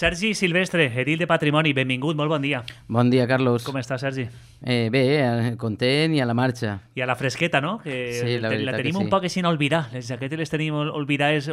Sergi Silvestre, edil de Patrimoni, benvingut, molt bon dia. Bon dia, Carlos. Com està, Sergi? Bé, content i a la marxa. I a la fresqueta, no? Que Sí, la veritat tenim que un sí. poc així en olvidar. Les jaquetes les tenim olvidades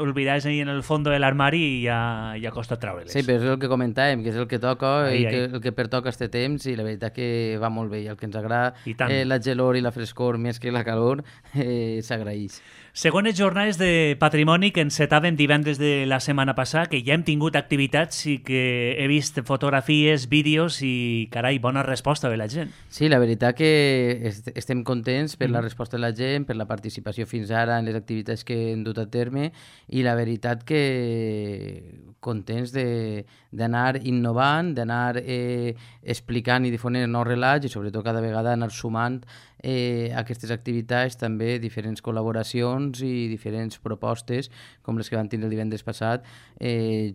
ahí en el fondo de l'armari i ja costa treure-les. Sí, però és el que comentàvem, que és el que toca Ahí, i ahí. el que pertoca este temps, i la veritat que va molt bé. I el que ens agrada, I tant. la gelor i la frescor més que la calor, s'agraeix. Segones jornades de Patrimoni que encetàvem divendres de la setmana passada, que ja hem tingut activitats i que he vist fotografies, vídeos i, carai, bona resposta de la gent. Sí, la veritat que estem contents per la resposta de la gent, per la participació fins ara en les activitats que hem dut a terme, i la veritat que contents d'anar innovant, d'anar explicant i difonent nous relats i sobretot cada vegada anar sumant a aquestes activitats també diferents col·laboracions i diferents propostes com les que van tenir el divendres passat,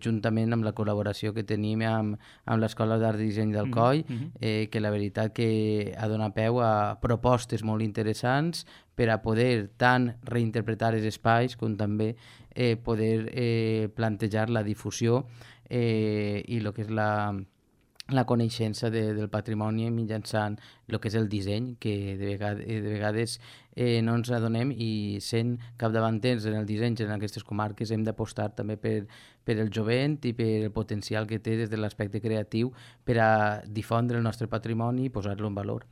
juntament amb la col·laboració que tenim amb l'Escola d'Art i Disseny d'Alcoi, que la veritat que ha donat peu a propostes molt interessants per a poder tant reinterpretar els espais com també poder plantejar la difusió i el que és la coneixença del patrimoni mitjançant el que és el disseny, que de vegades no ens adonem, i sent capdavanters en el disseny en aquestes comarques hem d'apostar també per el jovent i per el potencial que té des de l'aspecte creatiu per a difondre el nostre patrimoni i posar-lo en valor.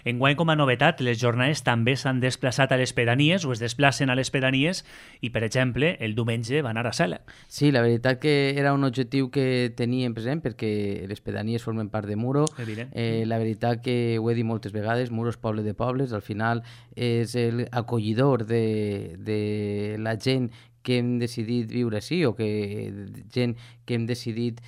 Enguany, com a novetat, les jornades també s'han desplaçat a les pedanies o es desplacen a les pedanies i, per exemple, el diumenge van anar a Sela. Sí, la veritat que era un objectiu que teníem present perquè les pedanies formen part de Muro. Evident. La veritat que ho he dit moltes vegades, Muro és poble de pobles, al final és l'acollidor de la gent que hem decidit viure així o que gent que hem decidit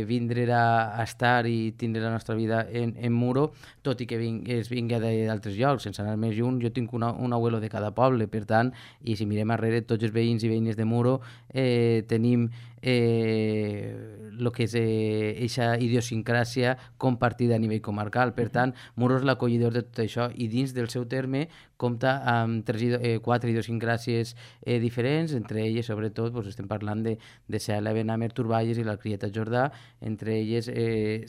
vindre a estar i tindre la nostra vida en Muro, tot i que es vingui d'altres llocs, sense anar més lluny. Jo tinc un abuelo de cada poble, per tant, i si mirem arrere, tots els veïns i veïnes de Muro tenim el que és aquesta idiosincràsia compartida a nivell comarcal. Per tant, Muro és l'acollidor de tot això i dins del seu terme compta amb 4 idiosincràsies diferents, entre elles, sobretot, estem parlant de Sela, Benamer, Turballes i la Crieta Jordà, entre elles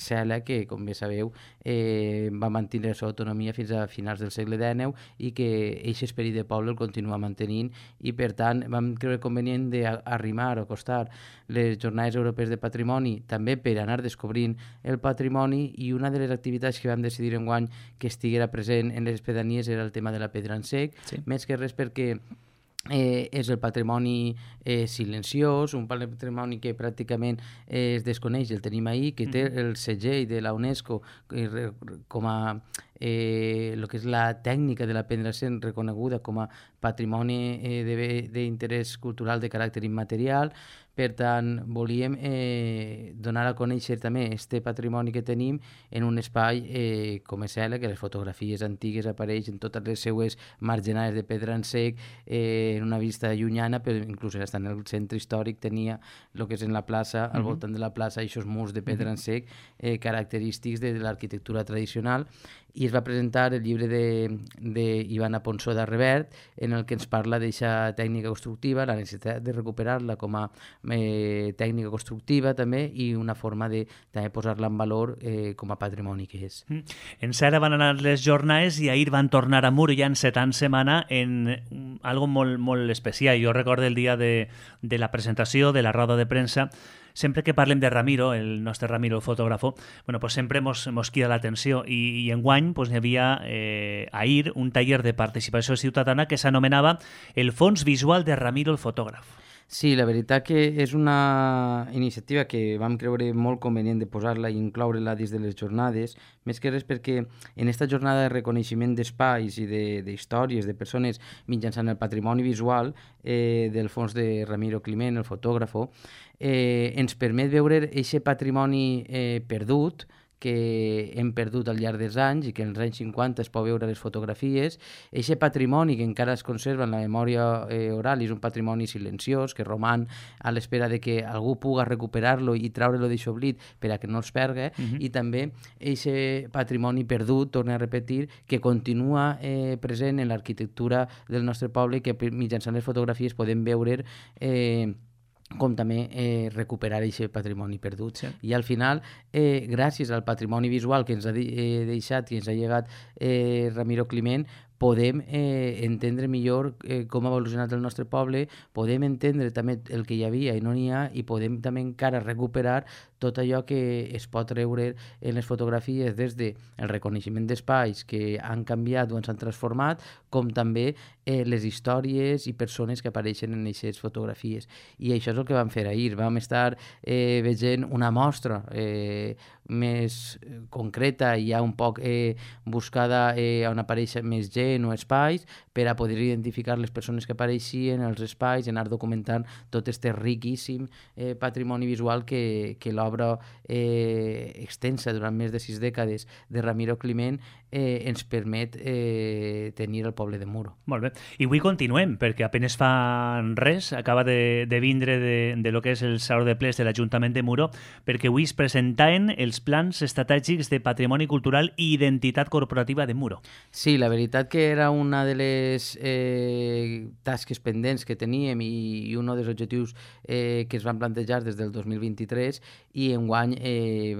Sela, que, com bé sabeu, va mantenir la seva autonomia fins a finals del segle XIX i que aquest esperit de poble el continua mantenint, i per tant vam creure convenient d'arrimar o acostar les Jornades Europees de Patrimoni també per anar descobrint el patrimoni, i una de les activitats que vam decidir enguany que estiguera present en les pedanies era el tema de la pedra en sec, Sí. més que res perquè és el patrimoni silenciós, un patrimoni que pràcticament es desconeix, el tenim ahí, que té el segell de la UNESCO com a el que és la tècnica de la pedra sent reconeguda com a patrimoni d'interès cultural de caràcter immaterial. Per tant, volíem donar a conèixer també este patrimoni que tenim en un espai com és Sela, que les fotografies antigues apareixen totes les seues marginades de pedra en sec en una vista llunyana, però inclús estar en el centre històric tenia el que és en la plaça, al voltant de la plaça, aquests murs de pedra en sec característics de l'arquitectura tradicional, i es va presentar el llibre d'Ivana Ponsó d'Arrevert, en el que ens parla d'aquesta tècnica constructiva, la necessitat de recuperar-la com a tècnica constructiva també, i una forma de també posar-la en valor com a patrimoni que és. En Sela van anar les jornades i ahir van tornar a Muro ja encetant setmana en algo molt, molt especial. Jo recordo el dia de la presentació, de la roda de premsa. Sempre que parlem de Ramiro, el nostre Ramiro, el fotògrafo, pues sempre mos crida l'atenció, i enguany hi havia ahir un taller de participació ciutadana que s'anomenava el Fons Visual de Ramiro, el fotògraf. Sí, la veritat que és una iniciativa que vam creure molt convenient de posar-la i incloure-la dins de les jornades, més que res perquè en aquesta jornada de reconeixement d'espais i d'històries de persones mitjançant el patrimoni visual del fons de Ramiro Climent, el fotògrafo, ens permet veure aquest patrimoni perdut que hem perdut al llarg dels anys i que en els anys 50 es pot veure les fotografies. Aquest patrimoni que encara es conserva en la memòria oral és un patrimoni silenciós que roman a l'espera de que algú puga recuperar-lo i treure-lo d'això oblit per a que no es perga, i també aquest patrimoni perdut, torno a repetir, que continua present en l'arquitectura del nostre poble i que mitjançant les fotografies podem veure com també recuperar aquest patrimoni perdut. Sí. I al final, gràcies al patrimoni visual que ens ha deixat i ens ha llegat Ramiro Climent, podem entendre millor com ha evolucionat el nostre poble, podem entendre també el que hi havia i no n'hi ha, i podem també encara recuperar tot allò que es pot treure en les fotografies, des del reconeixement d'espais que han canviat o s'han transformat, com també les històries i persones que apareixen en aquestes fotografies. I això és el que vam fer ahir. Vam estar veient una mostra més concreta i ja un poc buscada on apareix més gent o espais, per a poder identificar les persones que apareixien, els espais, i anar documentant tot este riquíssim patrimoni visual que l'obra extensa durant més de 6 dècades de Ramiro Climent ens permet tenir al poble de Muro. Molt bé. I avui continuem, perquè apenes fa res, acaba de vindre de lo que és el Saló de Plens de l'Ajuntament de Muro, perquè avui es presentaven els plans estratègics de patrimoni cultural i identitat corporativa de Muro. Sí, la veritat que era una de les tasques pendents que teníem i un dels objectius que es van plantejar des del 2023, i enguany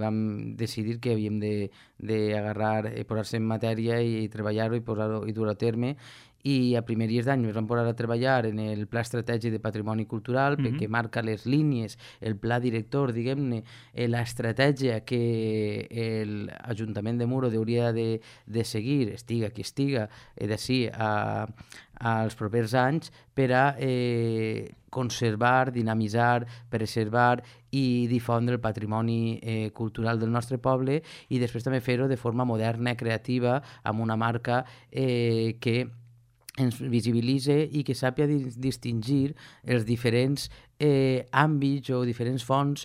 vam decidir que havíem d'agarrar, posar-se en matèria i treballar-ho i dur a terme. I a primeries d'any ens vam posar a treballar en el Pla Estratègic de Patrimoni Cultural, perquè marca les línies, el pla director, diguem-ne, l'estratègia que l'Ajuntament de Muro hauria de seguir, estiga qui estiga, d'ací als propers anys, per a conservar, dinamitzar, preservar i difondre el patrimoni cultural del nostre poble, i després també fer-ho de forma moderna, creativa, amb una marca que ens visibilitze i que sàpia distingir els diferents àmbits o diferents fonts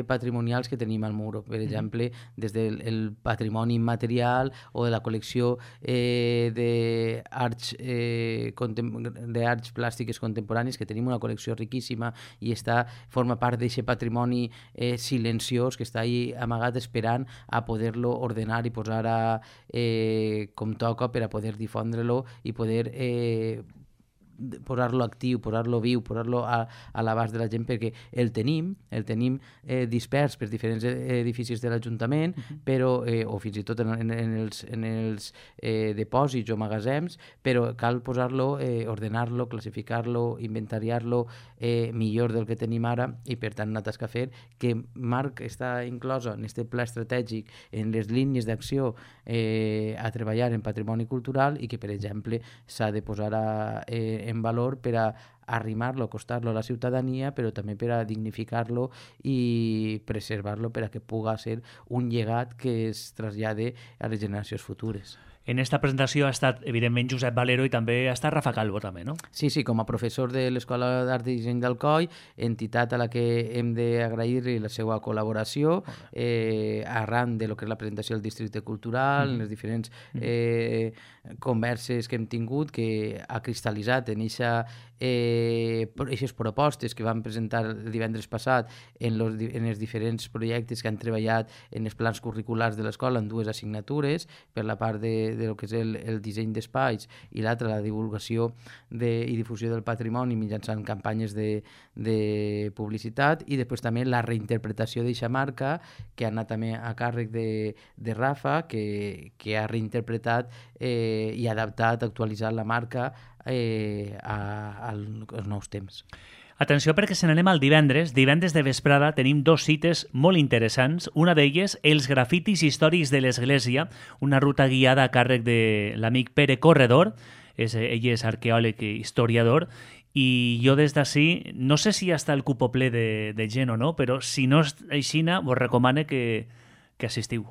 patrimonials que tenim al Muro. Per exemple, des del patrimoni immaterial o de la col·lecció d'arts plàstiques contemporanis, que tenim una col·lecció riquíssima i forma part d'aquest patrimoni silenciós que està ahí amagat esperant a poder-lo ordenar i posar com toca per a poder difondre-lo i poder posar-lo actiu, posar-lo viu, posar-lo a l'abast de la gent, perquè el tenim dispers per diferents edificis de l'Ajuntament, però o fins i tot en els depòsits o magatzems, però cal posar-lo, ordenar-lo, classificar-lo, inventariar-lo millor del que tenim ara, i per tant una tasca a fer que està inclosa en aquest pla estratègic, en les línies d'acció a treballar en patrimoni cultural, i que, per exemple, s'ha de posar en valor per a arrimar-lo, acostar-lo a la ciutadania, però també per a dignificar-lo i preservar-lo per a que pugui ser un llegat que es trasllade a les generacions futures. En esta presentació ha estat, evidentment, Josep Valero, i també ha estat Rafa Calvo, també, no? Sí, com a professor de l'Escola d'Art i Disseny d'Alcoi, entitat a la que hem d'agrair-li la seva col·laboració arran de lo que és la presentació del districte cultural, les diferents converses que hem tingut, que ha cristal·litzat en aquestes propostes que vam presentar el divendres passat en els diferents projectes que han treballat en els plans curriculars de l'escola en 2 assignatures, per la part de lo que és el disseny d'espais, i l'altra la divulgació i difusió del patrimoni mitjançant campanyes de publicitat, i després també la reinterpretació d'aquesta marca, que ha anat també a càrrec de Rafa, que ha reinterpretat i adaptat, actualitzat la marca als nous temps. Atenció, perquè se n'anem al divendres de vesprada tenim 2 cites molt interessants. Una d'elles, els grafitis històrics de l'Església, una ruta guiada a càrrec de l'amic Pere Corredor, ell és arqueòleg i historiador, i jo des d'ací, no sé si ja està el cupo ple de gent o no, però si no és així, vos recomano que assistiu.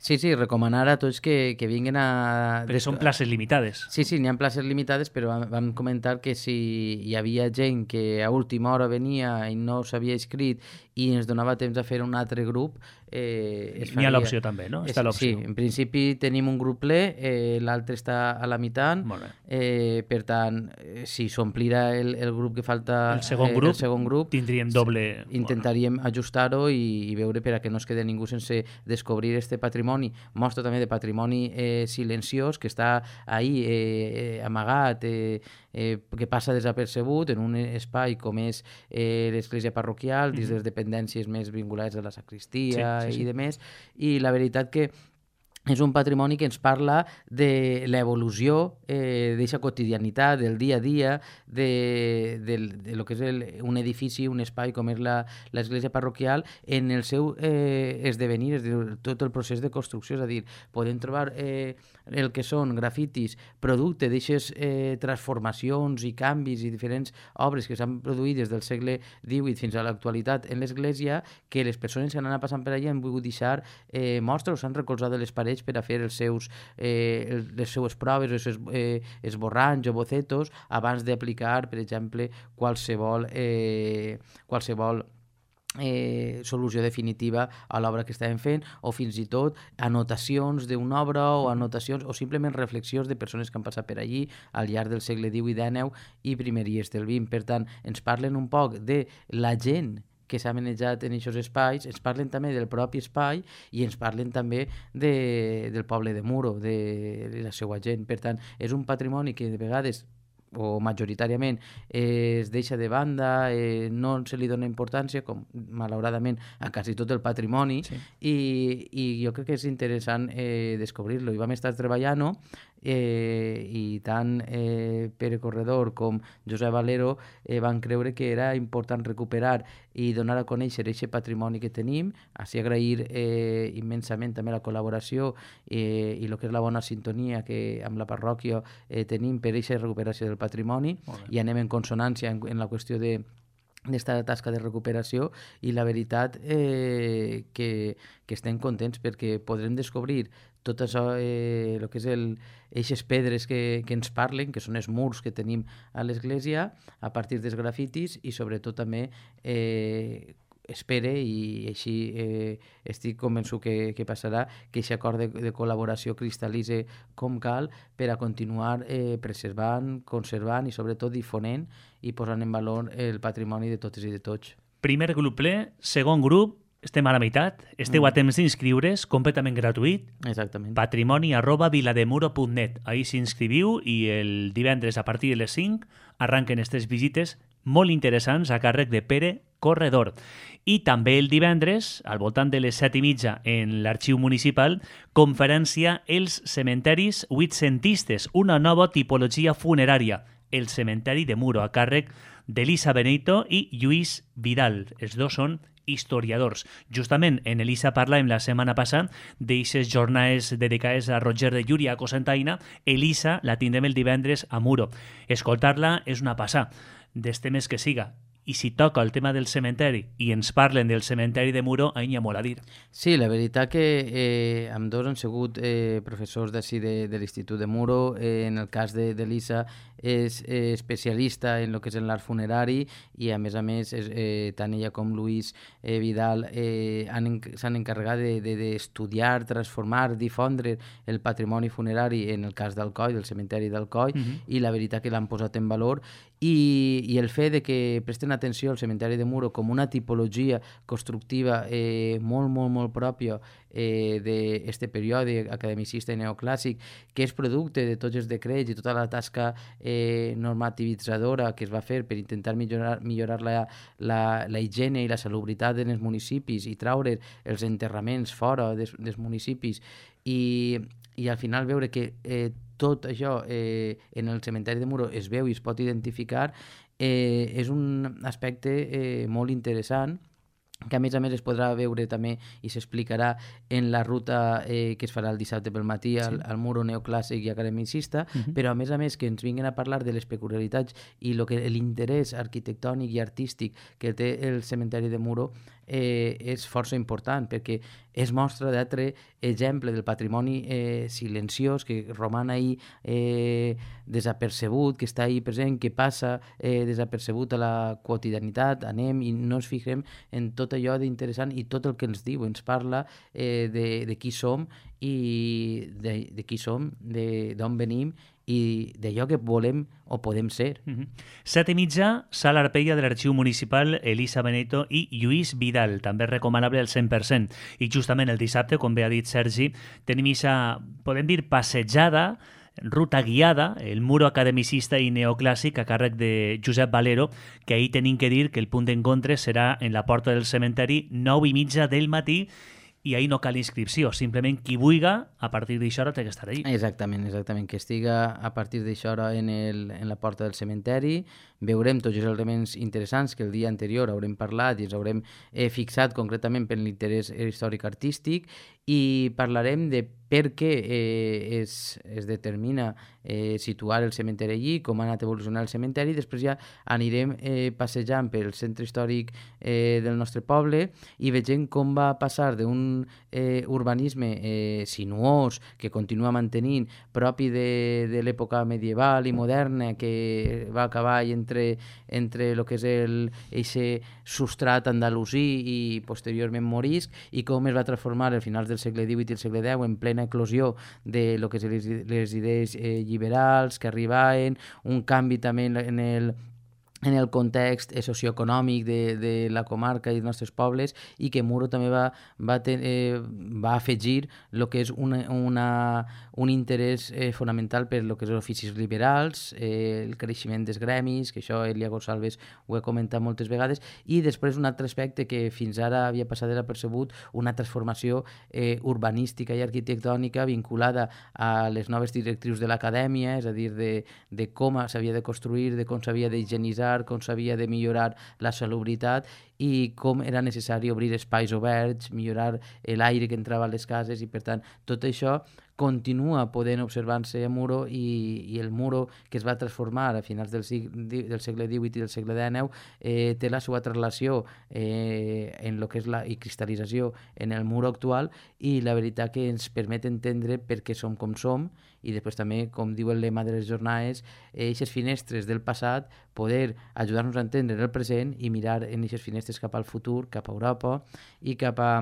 Sí, recomanar a tots que vinguin a... Perquè són places limitades. Sí, n'hi ha places limitades, però vam comentar que si hi havia gent que a última hora venia i no s'havia inscrit i ens donava temps a fer un altre grup. N'hi ha l'opció també, no? Està l'opció. Sí, en principi tenim un grup ple, l'altre està a la meitat, per tant, si s'omplirà el grup que falta, el segon grup tindríem doble... Intentaríem ajustar-ho i veure per a que no es quede ningú sense descobrir este patrimoni, mostra també de patrimoni silenciós que està ahí amagat, que passa desapercebut en un espai com és l'església parroquial, dins de les dependències més vinculades a la sacristia i demés, i la veritat que és un patrimoni que ens parla de l'evolució d'aquesta quotidianitat, del dia a dia, de lo que és un edifici, un espai com és l'església parroquial, en el seu esdevenir, és a dir, tot el procés de construcció, és a dir, podem trobar el que són grafitis, producte d'aquestes transformacions i canvis i diferents obres que s'han produït des del segle XVIII fins a l'actualitat en l'església, que les persones que han anat passant per allà han volgut deixar mostres o s'han recolzat de les parets per a fer les seues proves, els seus esborranys o bocetos abans d'aplicar, per exemple, qualsevol solució definitiva a l'obra que estàvem fent, o fins i tot anotacions d'una obra o anotacions o simplement reflexions de persones que han passat per allí al llarg del segle XVIII, XIX i primeries del XX. Per tant, ens parlen un poc de la gent que s'ha manejat en aquests espais, ens parlen també del propi espai i ens parlen també del poble de Muro, de la seva gent. Per tant, és un patrimoni que de vegades o majoritàriament es deixa de banda, no se li dona importància, com malauradament a quasi tot el patrimoni, i jo crec que és interessant descobrir-lo. I vam estar treballant-ho, i tant Pere Corredor com Josep Valero van creure que era important recuperar i donar a conèixer aquest patrimoni que tenim, així agrair immensament també la col·laboració i el que és la bona sintonia que amb la parròquia tenim per aquesta recuperació del patrimoni, i anem en consonància en la qüestió d'esta tasca de recuperació, i la veritat que estem contents perquè podrem descobrir tot això, el que és eixes pedres que ens parlen, que són els murs que tenim a l'església, a partir dels grafitis, i sobretot també espere, i així estic convençut que passarà, que aquest acord de col·laboració cristal·litze com cal per a continuar preservant, conservant i sobretot difonent i posant en valor el patrimoni de totes i de tots. Primer grup ple, segon grup, estem a la meitat, esteu a temps d'inscriure's, completament gratuït. Exactament. patrimoni@vilademuro.net. Ahí s'inscriviu i el divendres a partir de les 5 arranquen aquestes visites molt interessants a càrrec de Pere Corredor. I també el divendres, al voltant de les 7:30, en l'Arxiu Municipal, conferència Els cementeris huitcentistes, una nova tipologia funerària, el cementeri de Muro, a càrrec d'Elisa Benito i Lluís Vidal. Els dos són historiadors. Justament en Elisa parlàvem la setmana passada d'eixes jornades dedicades a Roger de Llúria, a Cocentaina. Elisa la tindrem el divendres a Muro. Escoltar-la és una passada, dels temes que siga. I si toca el tema del cementeri i ens parlen del cementeri de Muro, ahir n'hi ha molt a dir. Sí, la veritat que ambdós han sigut professors d'ací de l'Institut de Muro. En el cas d'Elisa és especialista en el que és l'art funerari, i a més, tant ella com Lluís Vidal s'han encarregat d'estudiar, transformar, difondre el patrimoni funerari, en el cas d'Alcoi, del cementeri d'Alcoi, i la veritat que l'han posat en valor, i el fet de que presten atenció al cementeri de Muro com una tipologia constructiva molt, molt, molt pròpia d'aquest període academicista i neoclàssic, que és producte de tots els decrets i tota la tasca normativitzadora que es va fer per intentar millorar la higiene i la salubritat en els municipis i traure els enterraments fora dels municipis, i al final veure que tot això en el cementeri de Muro es veu i es pot identificar, és un aspecte molt interessant, que a més es podrà veure també i s'explicarà en la ruta que es farà el dissabte pel matí al Muro neoclàssic i academicista, però a més que ens vinguin a parlar de les peculiaritats i l'interès arquitectònic i artístic que té el cementeri de Muro és força important, perquè és mostra d'altre exemple del patrimoni silenciós que roman ahí desapercebut, que està ahí present, que passa desapercebut a la quotidianitat. Anem i no ens fixem en tot tot allò d'interessant i tot el que ens diu, ens parla de qui som i de qui som, d'on venim i d'allò que volem o podem ser. 7:30, Sala Arpella de l'Arxiu Municipal, Elisa Benito i Lluís Vidal, també recomanable al 100%. I justament el dissabte, com bé ha dit Sergi, tenim aquesta, podem dir, passejada, ruta guiada, el muro academicista i neoclàssic a càrrec de Josep Valero, que ahir tenim que dir que el punt d'encontre serà en la porta del cementeri 9:30 del matí, i ahir no cal inscripció, simplement qui vulga, a partir d'això hora té que estar allí. Exactament, que estiga a partir d'això hora en la porta del cementeri, veurem tots els elements interessants que el dia anterior haurem parlat i ens haurem fixat concretament per l'interès històric-artístic, i parlarem de per què es determina situar el cementeri allí, com ha anat evolucionant el cementeri. Després ja anirem passejant pel centre històric del nostre poble i vegem com va passar d'un urbanisme sinuós que continua mantenint, propi de l'època medieval i moderna, que va acabar entre el que és eixe substrat andalusí i posteriorment morisc, i com es va transformar al finals del segle XVIII i el segle X en plena eclosió de lo que és les idees liberals que arribaven, un canvi també en el context socioeconòmic de la comarca i dels nostres pobles, i que Muro també va afegir el que és un interès fonamental per lo que és els oficis liberals, el creixement dels gremis, que això Elia Gonçalves ho he comentat moltes vegades, i després un altre aspecte que fins ara havia passat desapercebut, una transformació urbanística i arquitectònica vinculada a les noves directrius de l'acadèmia, és a dir, de com s'havia de construir, de com s'havia d'higienitzar, com s'havia de millorar la salubritat i com era necessari obrir espais oberts, millorar l'aire que entrava a les cases, i per tant tot això continua podent observar-se a Muro, i el Muro que es va transformar a finals del segle XVIII i del segle XIX té la seva traslació en el que és la cristal·lització en el Muro actual, i la veritat que ens permet entendre per què som com som, i després també, com diu el lema de les jornades, aquestes finestres del passat, poder ajudar-nos a entendre el present i mirar en aquestes finestres cap al futur, cap a Europa i cap a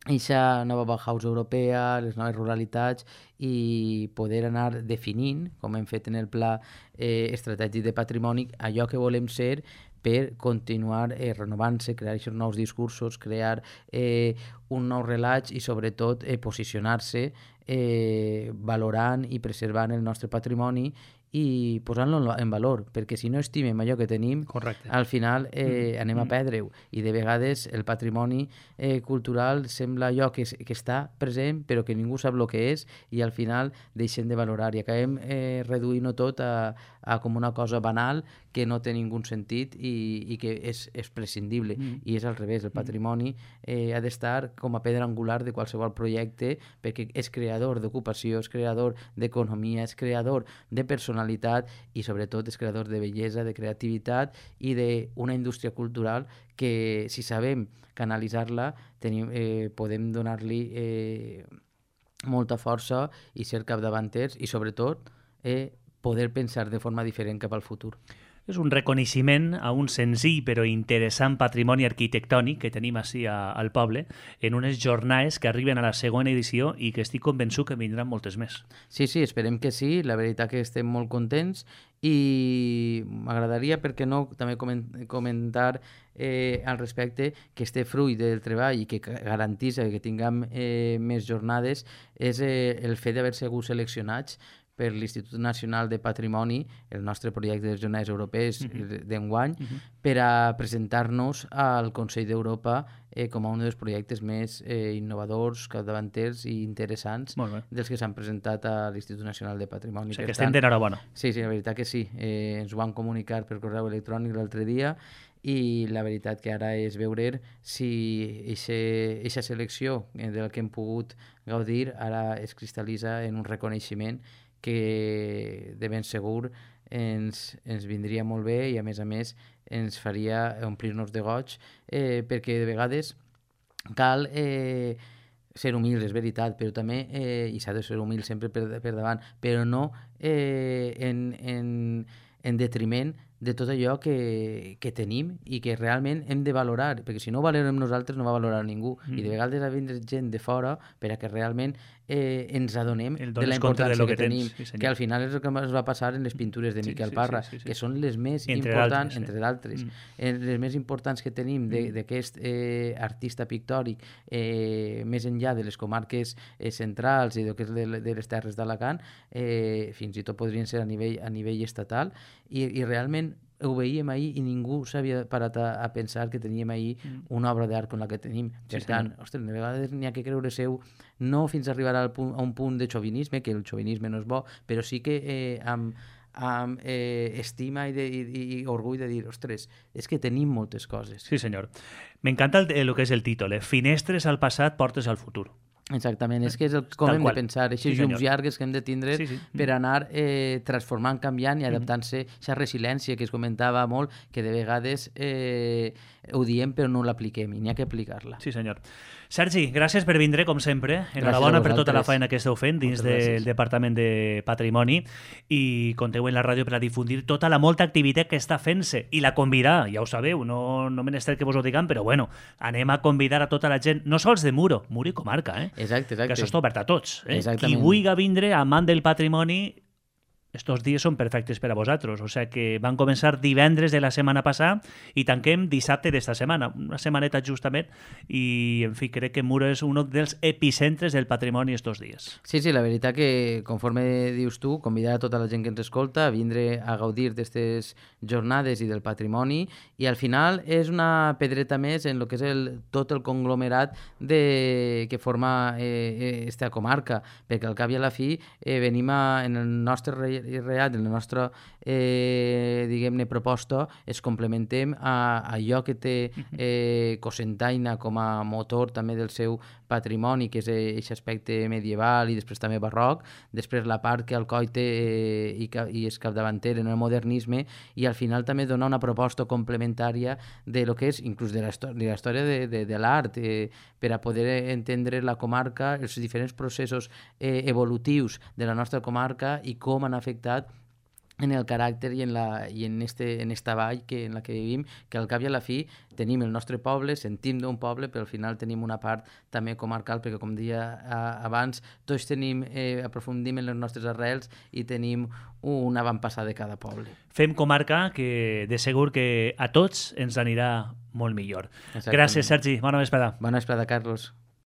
aquesta nova Bauhaus europea, les noves ruralitats, i poder anar definint, com hem fet en el pla estratègic de patrimoni, allò que volem ser per continuar renovant-se, crear aquests nous discursos, crear un nou relat i sobretot posicionar-se valorant i preservant el nostre patrimoni i posant-lo en valor, perquè si no estimem allò que tenim, correcte, al final anem a perdre-ho, i de vegades el patrimoni cultural sembla allò que està present però que ningú sap el que és, i al final deixem de valorar i acabem reduint-ho tot a com una cosa banal que no té ningú sentit i que és prescindible, i és al revés. El patrimoni ha d'estar com a pedra angular de qualsevol projecte, perquè és creador d'ocupació, és creador d'economia, és creador de personalitat i sobretot és creador de bellesa, de creativitat i d'una indústria cultural que, si sabem canalitzar-la, podem donar-li molta força i ser capdavanters, i sobretot poder pensar de forma diferent cap al futur. És un reconeixement a un senzill però interessant patrimoni arquitectònic que tenim així al poble, en unes jornades que arriben a la segona edició i que estic convençut que vindran moltes més. Sí, esperem que sí, la veritat que estem molt contents, i m'agradaria, per què no, també comentar al respecte que este fruit del treball i que garantís que tinguem més jornades és el fet d'haver sigut seleccionats per l'Institut Nacional de Patrimoni, el nostre projecte de les jornades europees d'enguany, per a presentar-nos al Consell d'Europa com a un dels projectes més innovadors, capdavanters i interessants dels que s'han presentat a l'Institut Nacional de Patrimoni. O sigui que estem d'enhorabona. Sí, la veritat que sí. Ens ho van comunicar per correu electrònic l'altre dia, i la veritat que ara és veure si aquesta selecció del que hem pogut gaudir ara es cristal·litza en un reconeixement que de ben segur ens vindria molt bé, i a més ens faria omplir-nos de goig, perquè de vegades cal ser humils, és veritat, però també, i s'ha de ser humil sempre per davant, però no en detriment de tot allò que tenim i que realment hem de valorar, perquè si no ho valorem nosaltres no va valorar ningú, i de vegades ha de vindre gent de fora per a que realment ens adonem de la importància que tenim, que al final és el que ens va passar en les pintures de Miquel Parra, que són les més importants, entre d'altres, les més importants que tenim d'aquest artista pictòric, més enllà de les comarques centrals i de les terres d'Alacant, fins i tot podrien ser a nivell estatal, i realment ho veiem ahir i ningú s'havia parat a pensar que teníem ahir una obra d'art com la que tenim. Per tant, ostres, de vegades n'hi ha que creure seu, no fins a arribar a un punt de xovinisme, que el xovinisme no és bo, però sí que amb estima i orgull de dir, ostres, és que tenim moltes coses. Sí, senyor. M'encanta el que és el títol, Finestres al passat, portes al futur. Exactament, és que és com hem de pensar, aquestes llums llargues que hem de tindre per anar transformant, canviant i adaptant-se a aquesta resiliència que es comentava molt, que de vegades ho diem però no l'apliquem i n'hi ha que aplicar-la. Sí, senyor. Sergi, gràcies per vindre, com sempre. Enhorabona per tota la feina que esteu fent dins del Departament de Patrimoni, i compteu en la ràdio per a difundir tota la molta activitat que està fent-se i la convidar, ja ho sabeu, no menester que vos ho diguem, però bueno, anem a convidar a tota la gent, no sols de Muro i comarca, Exacte. Que això està obert a tots. Exactament. Qui vulgui vindre, amant del patrimoni, estos dies són perfectes per a vosaltres. O sigui que van començar divendres de la setmana passada i tanquem dissabte d'esta setmana. Una setmaneta justament, i en fi, crec que Muro és un dels epicentres del patrimoni estos dies. Sí, la veritat que, conforme dius tu, convidar a tota la gent que ens escolta a vindre a gaudir d'aquestes jornades i del patrimoni, i al final és una pedreta més en el que és tot el conglomerat que forma esta comarca, perquè al cap i a la fi venim en el nostre real, en la nostra diguem-ne proposta, es complementem a allò que té Cocentaina com a motor també del seu patrimoni, que és aquest aspecte medieval i després també barroc, després la part que Alcoi té i és capdavanter en el modernisme, i al final també donar una proposta complementària de lo que és inclús de la història de l'art, per a poder entendre la comarca, els diferents processos evolutius de la nostra comarca i com han afectat en el caràcter i en esta vall en la que vivim, que al cap i a la fi tenim el nostre poble, sentim d'un poble, però al final tenim una part també comarcal, perquè com deia abans, tots aprofundim en les nostres arrels i tenim un avantpassat de cada poble. Fem comarca que de segur que a tots ens anirà molt millor. Gràcies, Sergi. Bona vesprada. Bona vesprada, Carlos.